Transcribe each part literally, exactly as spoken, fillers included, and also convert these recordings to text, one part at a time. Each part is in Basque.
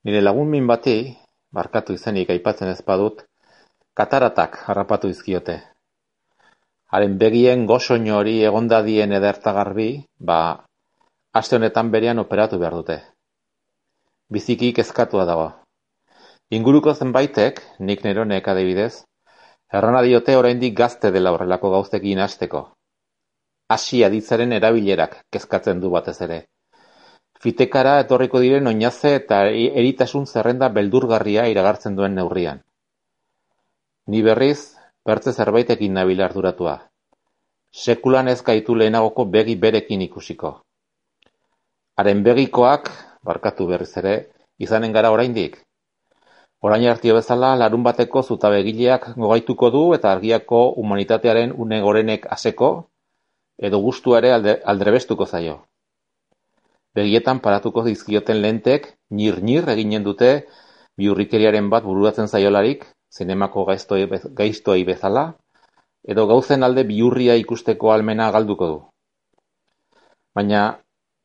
Nire lagun min bati, barkatu izenik aipatzen ez badut, kataratak harrapatu izkiote. Haren begien gosoin hori egondadien ederta garbi, ba, aste honetan berean operatu behar dute. Biziki kezkatua dago. Inguruko zenbaitek, nik neronek adibidez, errana diote oraindik gazte dela horrelako gauzekin hasteko. Hasi aditzaren erabilerak kezkatzen du batez ere. Fitekara etorriko diren oinaze eta eritasun zerrenda beldurgarria iragartzen duen neurrian. Ni berriz, bertze zerbaitekin nabil arduratua. Sekulan ez gaitu lehenagoko begi berekin ikusiko. Haren begikoak, barkatu berriz ere, izanen gara oraindik. Orain hartio bezala, larun bateko zutabegileak gogaituko du eta argiako humanitatearen une gorenek aseko, edo gustua ere alde, aldrebestuko zaio. Begietan paratuko dizkioten lentek, nir-nir eginen dute bihurrikeriaren bat bururatzen zaiolarik, zinemako gaiztoi, gaiztoi bezala, edo gauzen alde bihurria ikusteko almena galduko du. Baina,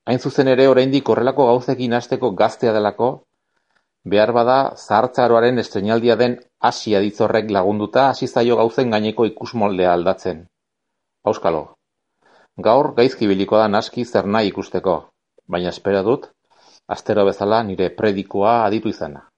hain zuzen ere oraindik horrelako gauzekin hasteko gaztea delako, behar bada zahartzaroaren estreinaldia den hasi aditzorrek lagunduta hasi zaio gauzen gaineko ikusmoldea aldatzen. Auskalo, gaur gaizki biliko da naski zer nahi ikusteko, baina espero dut, astero bezala nire predikoa aditu izana.